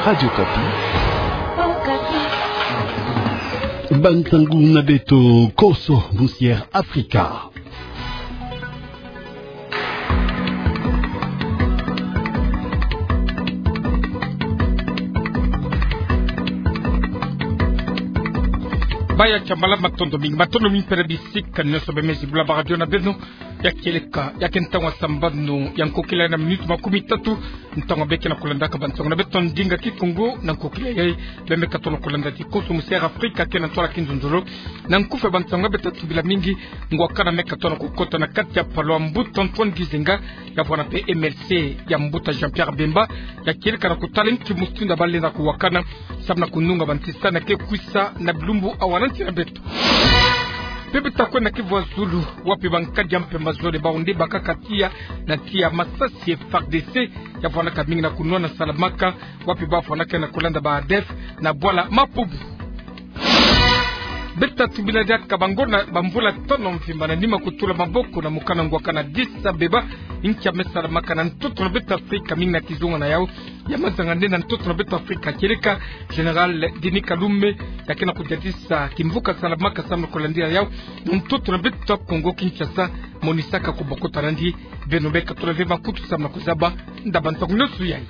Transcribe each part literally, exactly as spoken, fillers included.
Radio Okapi. Bansangu na beto, Konso Musière Afrika. Baya kiambala, matondo mingi, matondo mingi mpe na bisika nyonso bemezi bula ba radio na beno. Ya kieleka, ya ke ntangu ya sambanu ya nkokila na miniti makumi tatu, ntangu beke na kulandaka bansangu na beto ndinga Kikongo na nkokila yayi. Bemeka tona kulanda ti Konso Musière Afrika ke na ntwala kinzonzolo. Na nkufi ya bansangu, beta tubila mingi, ngwakana meka tona kukota na kati ya palu ya mbuta Antoine Gizenga, ya vwanda mpe M L C ya mbuta Jean-Pierre Bemba, ya kieleka na kutala nki mutindu ya bale na kuwakana, samu na kununga bantisani ya ke kwisa na bilumbu awa na nsi na beto. Mpe beta kwenda Kivu ya Zulu, wapi bankadi ya mpemba zole bawu nde bakaka tiya na tiya masasi ya F A R D C, ya vwandaka mingi na kunwana Salamaka, wapi ba vwandaka na kulanda ba A D F na bwala Mapubu. Beta tubila diaka bango na bamvula tono mvimba na nima kutula maboko na mokana ngwakana Addis Abeba, nki ya me salamaka na ntoto na beto Afrika, mingi na kizunga na yawu ya mazanga nde na ntoto na beto Afrika. Kieleka Général Denis Kalume, ya ke na kudiatisa kimvuka Salamaka samu na kulandila yawu na ntoto na beto Kongo Kinshasa, monisaka kubokota nandi. Beno beka tula ve makutu samu na kuzaba ndaba ntangu nyonso yayi.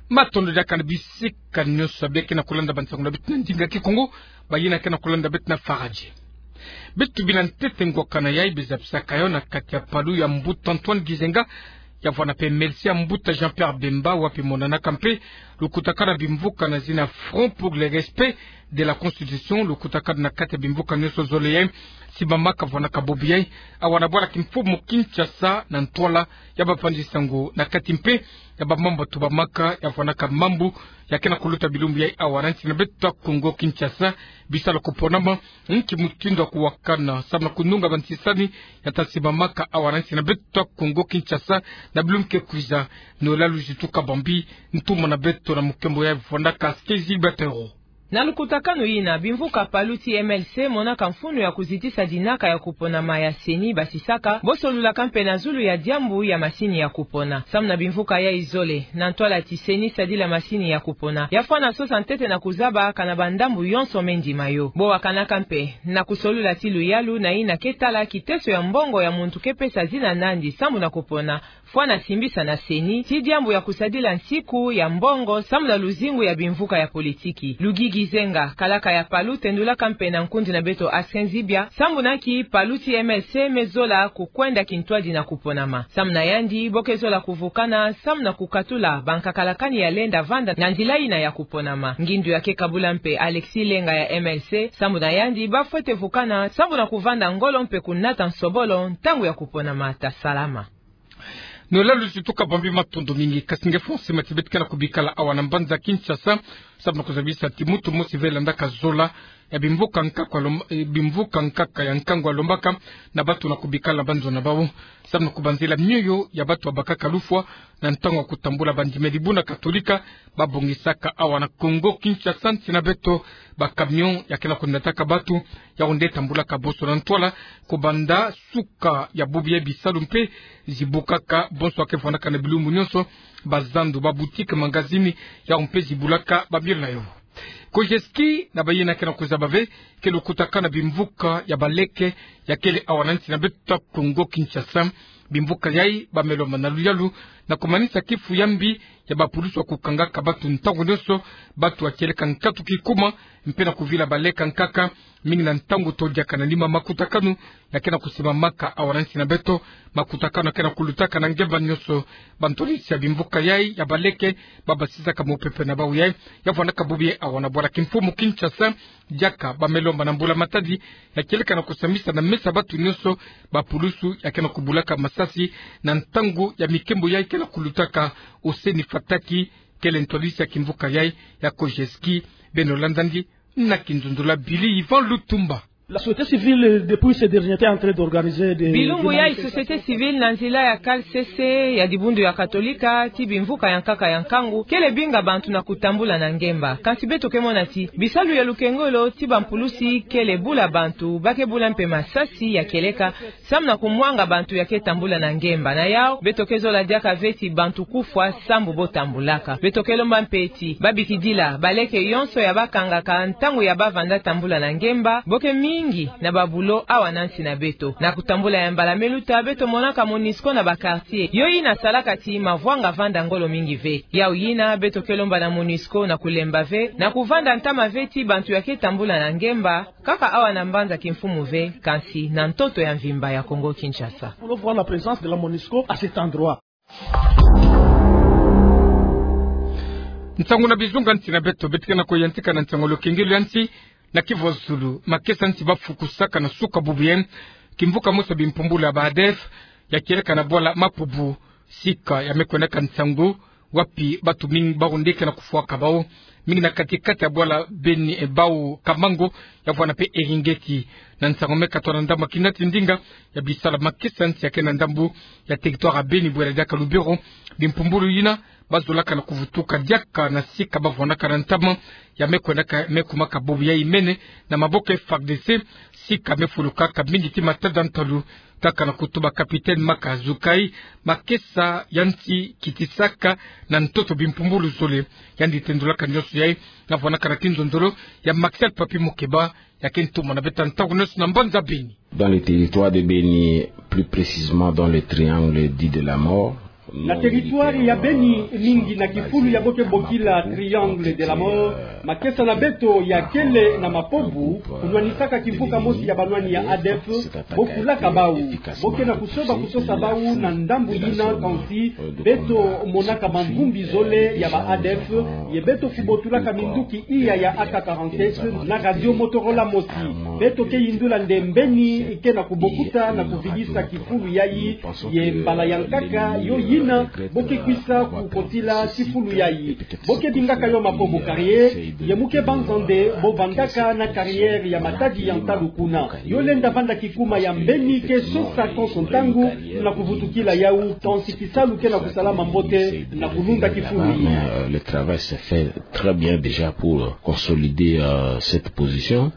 Matondo diaka na bisika nyonso beke na kulanda bansangu na beto na ndinga Kikongo, bayina ke na kulanda beto na Faradje. Beta tubila ntete ngwakana yayi beza bisaka yo na kati ya palu ya mbuta Antoine Gizenga, ya vwanda mpe M L C ya mbuta Jean-Pierre Bemba, wapi monanaka mpe lukutakanu ya bimvuka na zina Front pour le respect de la Constitution, lukutakanu na kati ya bimvuka nyonso zole yayi simbamaka vwanda ka bubu yayi awa na bwala kimfumu Kinshasa, na ntwala ya bavandi sango na kati mpe ya bamambu tubamaka, ya vwandaka mambu ya ke na kuluta bilumbu yayi awa na nsi na beto Kongo Kinshasa. Bisalu kuponama, nki mutindu ya kuwakana samu na kununga bantisani ya ta simbamaka awa na nsi na beto Kongo Kinshasa na bilumbu ke kwiza. Noëlla Luzitu Kabambi, ntumwa na beto na mukembo yayi vwandaka Skezi Batero. Na lukutakanu yina, bimvuka palu ti M L C monaka mfunu ya kuzitisa dinaka ya kuponama ya CENI, basisaka bo solulaka mpe na zulu ya diambu ya masini ya kupona. Samu na bimvuka yayi zole, na ntwala ti CENI sadila masini ya kupona, ya fwana sosa ntete na kuzaba kana bandambu yonso me ndima yo. Bo wakanaka mpe na kusolula ti luyalu na yina ke tala kiteso ya mbongo ya muntu ke pesa zina nandi samu na kupona, fwana simbisa na CENI ti diambu ya kusadila nsiku ya mbongo samu na luzingu ya bimvuka ya politiki. Lugi Gizenga, kalaka ya palu, tendulaka mpe na nkundi na beto Asken Zibia sambu na nki palu ti M L C me zola kukwenda kintwadi na kuponama. Samu na yandi, bo ke zola kuvukana samu na kukatula bankakalakani ya lenda vanda na nzila yina ya kuponama. Ngindu ya ke kabula mpe Alexis Lenga ya M L C, samu na yandi, ba fwete vukana samu na kuvanda ngolo mpe kunata nsobolo ntangu ya kuponama ta salama. Noëlla Luzitu Kabambi, matondo mingi. Kasi nge fwa nsima ti beto ke na kubikala awa na mbanza Kinshasa samu na kuzabisa ti muntu mosi ve landaka zola ya bimvuka nkaka lomb-, eh, bimvuka nkaka ya nkangu alombaka na bantu na kubikala na banzo na bawu samu na kubanzila mioyo ya bantu babakaka lufwa na ntangu ya kutambula bandimeli buna Katolika. Babongisaka awa na Kongo Kinshasa, nsi na beto, ba camion ya ke na kunataka bantu, yawu nde tambulaka bonso na ntwala, kubanda suka ya bubu yayi, bisalu mpe zibukaka, bonso ya ke vwandaka na bilumbu nyonso, bazandu, ba boutique, magazini, yawu mpe zibulaka bamioyo na yo. Kojeski na bayina ke na kuzaba ve ke lukutakanu na bimvuka ya baleke ya kele awa na nsi na beto Kongo Kinshasa. Bimvuka yayi ba me lomba na luyalu na kumanisa kifu ya mbi ya bapulusu ya kukangaka bantu ntangu nyonso, bantu ya kieleka nkatu kikuma, mpe na kuvila baleke nkaka, mingi na ntangu todiaka na nima makutakanu ya ke na kusimbamaka awa na nsi na beto, makutakanu ya ke na kulutaka na ngemba nyonso. Bantwadisi ya bimvuka yayi ya baleke, ba basisaka mopepe na bawu yayi, ya vwandaka bubu yayi awa na bwala kimfumu Kinshasa, diaka ba me lomba na mbula-matadi ya kieleka na kusambisa na mesa bantu nyonso bapulusu ya ke na kubulaka masasi na ntangu ya mikembo yayi ke na kulutaka. Hussein Fataki kele ntwadisi ya kimvuka yayi ya Kojeski. Beno landa yandi na kinzonzolo ya Billy Ivan Lutumba. La société civile, depuis ces derniers temps, est en train d'organiser des... Bilumbu ya société civile na nzila ya K C C, ya dibundu ya Katolika, ti bimvuka ya nkaka ya nkangu, kele binga bantu na kutambula na ngemba. Kansi beto ke mona ti bisalu ya lukengolo ti bampulusi kele bula bantu, ba ke bula mpe masasi ya kieleka, samu na kumwanga bantu ya ke tambula na ngemba. Na yau, beto ke zola diaka ve ti bantu kufwa sambu bo tambulaka. Beto ke lomba mpe ti babikidila baleke yonso ya ba kangaka ntangu ya ba vanda tambula na ngemba, bo ke mingi na babulo awa na nsi na beto. Na kutambula ya mbala me luta, beto monaka MONUSCO na ba quartier. Yo yina salaka ti mavwanga vanda ngolo mingi ve. Yau yina, beto ke lomba na MONUSCO na kulemba ve, na kuvanda ntama ve ti bantu ya ke tambula na ngemba, kaka awa na mbanza kimfumu ve, kansi na ntoto ya mvimba ya Congo Kinshasa. Pour voir la présence de la MONUSCO à cet endroit. Nsangu na bizunga nsi na beto, beto ke na kuyantika na nsangu lukengelo ya nsi. Na Kivu ya zulu, makesa nsi ba fukusaka na suka bubu yayi kimvuka mosi ya bimpumbulu ya ba A D F, ya kieleka na bwala Mapubu, sika ya me kwendaka nsangu, wapi bantu mingi ba onde ke na kufwaka bau, mingi na kati-kati ya bwala Beni, e, bau Kamango, ya vwanda mpe Eringeti. Na nsangu me katuka na ndambu ya kina ti ndinga ya bisala makesa nsi ya ke na ndambu ya territoire ya Beni, bwela diaka Lubero, bimpumbulu yina ba zolaka na kuvutuka diaka na sika ba vwandaka na ntama, ya me kwendaka, me kumaka bubu yayi mene na maboko ya F A R D C, sika me fulukaka mingi ti matada ntalu, kaka na kutuba capitaine Maka Zukai, makesa ya nsi kitisaka na ntoto bimpumbulu zole. Yandi tendulaka nionso yayi na vwandaka na kinzonzolo ya Maxel Papi Mukeba, ya ke ntumwa na beto ntangu nionso na mbanza Beni. Dans le territoire de Beni, plus précisément dans le triangle dit de la mort, na territoire ya Beni, mingi na kifulu ya bo ke bokila triangle de la mort, makesa na beto ya kele na Mapubu, kunwanisaka kimvuka mosi ya banwani ya A D F, bo fulaka bau. Bo ke na kusoba kusosa bau na ndambu yina, kansi beto monaka mamvumbi zole ya ba A D F, ye beto kubotulaka minduki iya ya A K quarante-sept na radio Motorola mosi. Beto ke yindula nde mbeni ke na kubokuta na kuvidisa kifulu yayi, ye mbala ya nkaka yo yina bo ke kwisa kukotila kifulu yayi. Bo ke bingaka yo Mapubu carrière, ye mu ke banza nde bo vandaka na carrière ya matadi ya ntalu kuna. Yo lenda vanda kikuma ya mbeni ke sosa konso ntangu na kuvutukila yau, kansi kisalu ke na kusalama mbote na kulunda kifulu yayi. Euh, le travail se fait très bien déjà pour, euh, consolider, euh, cette position.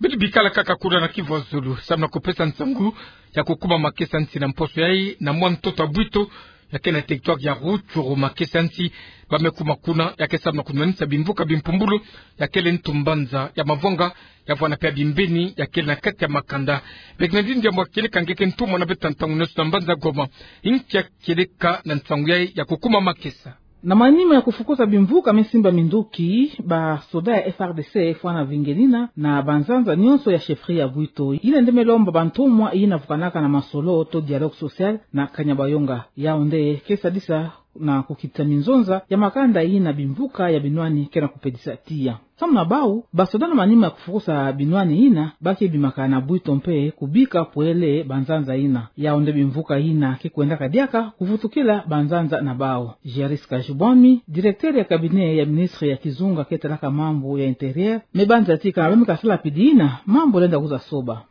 Beto bikala kaka kuna na Kivu ya zulu, samu na kupesa nsangu ya kukuma makesa nsi na mposo yayi na mwa ntoto ya Bwito, ya ke na territoire ya Rutshuru, makesa nsi ba me kuma kuna ya ke samu na kunwanisa bimvuka bimpumbulu, ya kele ntu mbanza ya mavwanga, ya vwanda mpe ya bimbeni, ya kele na kati ya makanda. Bernardine Diambu, kieleka nge ke ntumwa na beto ntangu nionso na mbanza Goma, inki ya kieleka na nsangu yayi ya kukuma makesa? Na manima ya kufukusa bimvuka me simba minduki, ba soda ya F A R D C fwana vingenina na banzanza nionso ya chefferie ya Bwito. Yina nde me lomba bantumwa yina vukanaka na masolo to dialogue social na Kanyabayonga. Yau nde ke sadisa na kukitisa minzonza ya makanda yina bimvuka ya binwani ke na kupedisa tiya. Samu na bau, ba soda na manima ya kufukusa binwani yina ba ke bimaka na Bwito mpe kubika pwele banzanza yina. Yau nde bimvuka yina ke kwendaka diaka kuvutukila banzanza na bau. Géris Kajubwami, directeur ya cabinet ya ministre ya kizunga ke talaka mambu ya intérieur, me banza ti kana ba me kasala pidi yina, mambu lenda kwiza soba.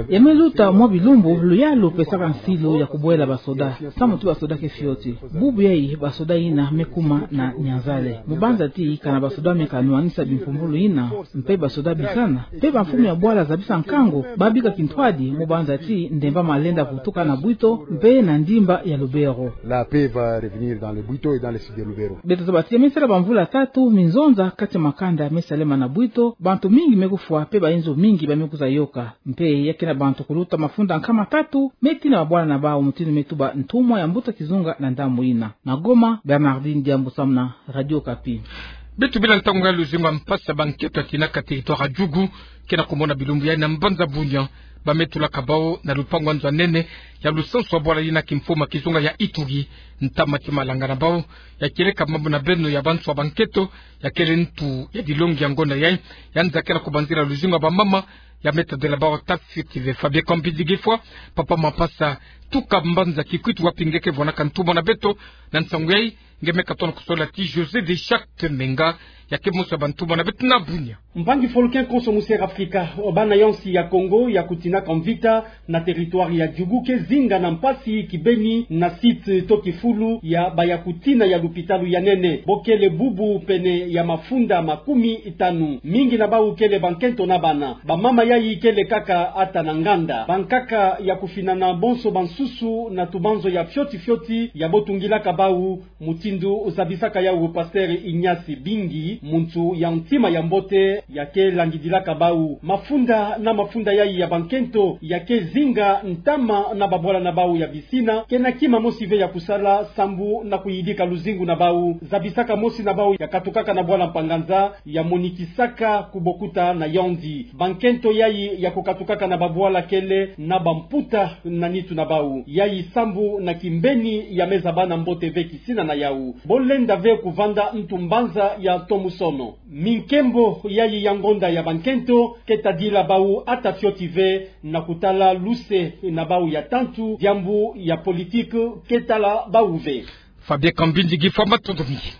Ya me luta mwa bilumbu luyalu pesaka nsilu ya kubwela ba soda, samu ti ba soda ke fioti. Bubu yayi ba soda yina me kuma na Nyanza-le. Mu banza ti kana ba soda me kanwanisa bimpumbulu yina, mpe ba soda bisana, mpe bamfumu ya bwala zabisa nkangu, ba bika kintwadi, mu banza ti ndemba ma lenda vutuka na Bwito mpe na ndimba ya Lubero. La paix va revenir dans le Bwito et dans le sud de Lubero. Beto zaba ti ya me sala bamvula tatu, minzonza kati ya makanda me salama na Bwito, bantu mingi me kufwa, mpe bayinzo mingi ba me kwiza yoka. Mpe ya ke na bantu kuluta mafunda nkama tatu me tina mabwala na bau, mutindu me tuba ntumwa ya mbuta kizunga na ndambu yina. Na Goma, Bernardine Diambu samu na Radio Okapi. Beto bila ntangu ya luzingu ya mpasi ya bankento ya tinaka territoire ya Djugu, ke na kumona bilumbu yayi na mbanza Bunia, ba me tulaka bau na lupangu ya nzo ya nene ya lusansu ya bwala yina kimfumu ya kizunga ya Ituri. Ntama ti malanga na bau ya kieleka mambu na beno ya banso ya bankento, ya kele ntu ya dilongi ya ngonda yayi, ya nza ke na kubanzila luzingu ya bamama, ya me tadila bau ta fioti ve. Fabien Kambidi Gifwa, papa Mapasa, tuka mbanza Kikwit wapi nge ke vwanaka ntumwa na beto na nsangu yayi, nge me katono kusola ti José de Charte Menga. Ya ke mosi ya bantu bana beto na bunia. Mpangi-foluki konso mu Sierra Afrika, bana yonsi ya Kongo ya kutinaka mvita na territoire ya Djougou ke zinga na mpasi kibeni na site to kifulu ya bayakutina ya lupitalu ya nene. Bo kele bubu pene ya mafunda makumi tanu. Mingi na bau kele bankento na bana. Bamama yayi kele kaka ata na nganda. Bankaka ya kufinana bonso bansusu na tubanzo ya fioti fioti ya bo tungilaka bau, mutindu zabisaka yau Pasteur Ignace Bingi, muntu ya ntima ya mbote, ya ke langidilaka bau. Mafunda na mafunda yayi ya bankento ya ke zinga ntama na babwala na bau ya bisina, ke na kima mosi ve ya kusala sambu na kuyidika luzingu na bau. Zabisaka mosi na bau ya katukaka na bwala Mpanganza, ya monikisaka kubokuta na yondi. Bankento yayi ya kukatukaka na babwala kele na bamputa na nitu na bau. Yayi sambu na kimbeni ya me zaba na mbote ve kisina na yau. Bo lenda ve kuvanda ntu mbanza ya ntomusono. Minkembo yayi ya ngonda ya bankento ke tadila bau ata fioti ve na kutala luse na bau ya tantu, diambu ya politique ke tala bau ve. Fabien Kambindi, Guy Famba, matondo mingi.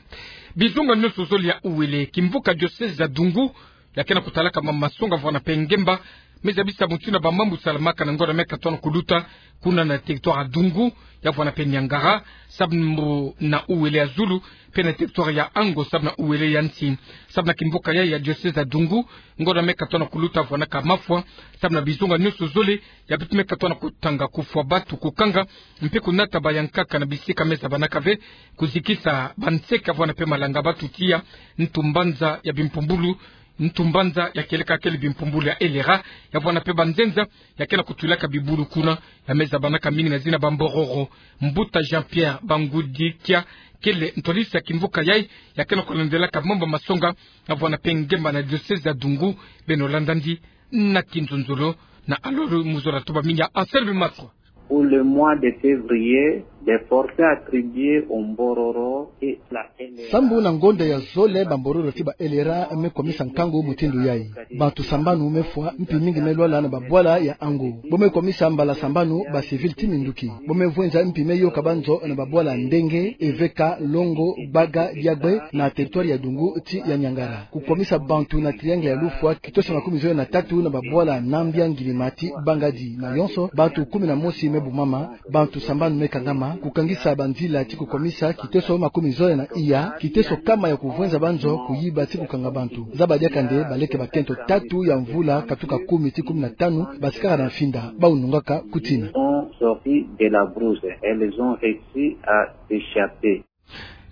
Bizunga nionso zole ya uwele kimvuka diocèse ya Dungu, ya ke na kutalaka mama masonga vwana mpe ngemba, me zabisa mutindu bamambu salamaka na ngonda me katono kuluta, kuna na territoire ya Dungu, ya vwana mpe Niangara, sambu na uwele ya zulu, mpe na territoire ya Ango, sambu na uwele ya nsi. Sambu na kimvuka yayi ya diocèse ya Dungu, ngonda me katono kuluta vwanaka mafwa, sambu na bizunga nionso zole, ya beto me katono kutanga, kufwa batu, kukanga, mpe kunata bayankaka na bisika me zabanaka ve, kuzikisa banseka vwana mpe malanga batu tiya ntu mbanza ya bimpumbulu, ntu mbanza ya kieleka kele bimpumbulu ya L R A, ya vwana mpe banzenza ya ke na kutulaka bibulu kuna, ya me zabanaka mingi na zina Bambororo. Mbuta Jean-Pierre Bangudikia kele ntwadisi ya kimvuka yayi, ya ke na kulandelaka mambu masonga, ya vwana mpe ngemba na diocèse ya Dungu, beno landa ndi na kinzonzolo na alolo mu zola tuba mingi ya Anselme Maswa. Pour le mois de février, des forfaits attribués aux Mbororo et la L R A. Sambu na ngonda ya zole, Bambororo ti ba L R A me komisa nkangu mutindu yayi. Bantu sambanu me fwa, mpi mingi me lwala na babwala ya Ango. Bo me komisa mbala sambanu ba civil ti minduki. Bo me vwenza mpi me yoka banzo na babwala Ndenge, Eveka, Longo, Gbaga, Diagbe, na territoire ya Dungu ti ya Niangara. Kukomisa bantu na triangle ya lufwa, kitoso makumi zole na tatu na babwala Nambia, Ngilima ti Bangadi. Na yonso, bantu kumi na mosi me bumama, bantu sambanu me kangama, kukangisa banzila ti kukomisa kitoso makumi zole na iya, kitoso kama ya kuvwenza banzo, kuyiba ti kukanga bantu. Zaba diaka nde baleke bakento tatu ya mvula katuka kumi ti kumi na tanu, basikaka na mfinda, bau nungaka kutina. Ont sorti de la brousse. Elles ont réussi à s'échapper.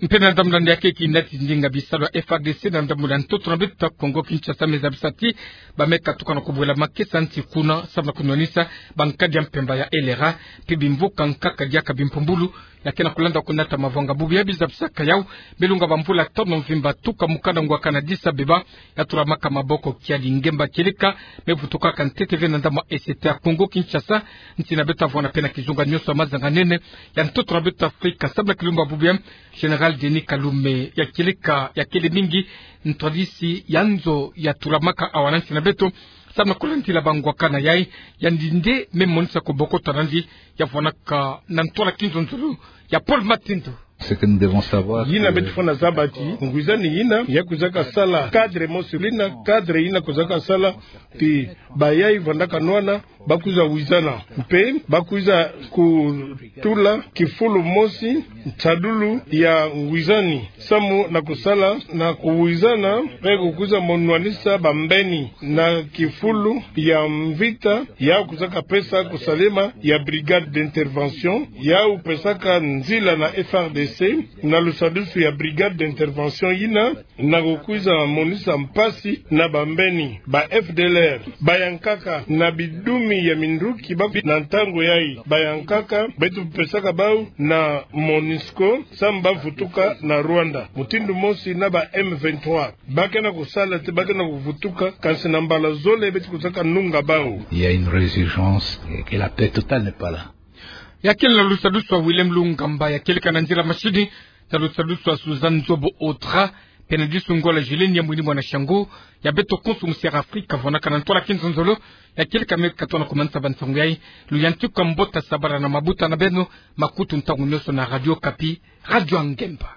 Mpe na ndambu na nde ya ke kina ti ndinga bisalu ya F R D C na ndambu na ntoto na beto ya Kongo Kinshasa me zabisa ti ba me katuka na kubwela makesa nti kuna, sambu na kunwanisa bankadi ya mpemba ya L R A, mpe bimvuka nkaka diaka bimpumbulu, ya ke na kulanda kunata mavanga bubu ya bizabisaka yau, belunga bamvula tanu mvimba tuka mukanda ngwakana Addis Abeba, ya tulamaka maboko kiadi ngemba kieleka me vutukaka ntete ve na ndambu ya E C T ya Kongo Kinshasa, nti na beto vwana mpe na kizunga nionso ya mazanga nene ya ntoto na beto Afrika, sambu na kilumbu bubu ya Général Denis Kalume ya kieleka ya kele mingi ntwadisi ya nzo ya tulamaka awa na nti na beto, sambu na kulandila bangwakana yayi, yandi nde me monisa kubokota na yandi, ya vwanaka na ntwala kinzonzolo ya Paul Matindo. Ce que nous devons savoir, yina que beto fwana zaba ti ngwizani yina ya kwizaka sala cadre mosi, lina cadre yina kwizaka sala ti bayayi vandaka nwana, bakwiza wizana. Mpe bakwiza kutula kifulu mosi nsadulu ya ngwizani, samu na kusala na kuwizana, mpe kukwiza monwanisa bambeni na kifulu ya mvita, ya kwizaka pesa kusalema ya brigade d'intervention, ya kupesaka nzila na F R D C, na lusadusu ya brigade d'intervention yina, na kukwiza monisa mpasi na bambeni, ba F D L R, bayankaka na bidumi ya minduki ba na ntangu yayi, bayankaka beto pesaka bau na MONUSCO, samu bavutuka na Rwanda, mutindu mosi na ba M vingt-trois. Ba ke na kusala te, ba ke na kuvutuka, kansi na mbala zole beto kwizaka nunga bau. Il y a une résurgence et que la paix totale n'est pas là. Ya kele na lusadusu ya Willem Lungamba, ya kieleka na nzila masini, na lusadusu ya Suzanne Nzobo Audra, mpe na disu Ngola Julienne ya mwini mwana Shangu, ya beto konso mu Sierra Afrika, vwanaka na ntwala kinzonzolo ya kieleka me katona kumanisa bansangu yayi. Luyantiku ya mbote, sabala na mabuta na beno, makutu ntangu nionso na Radio Okapi, radio ya ngemba.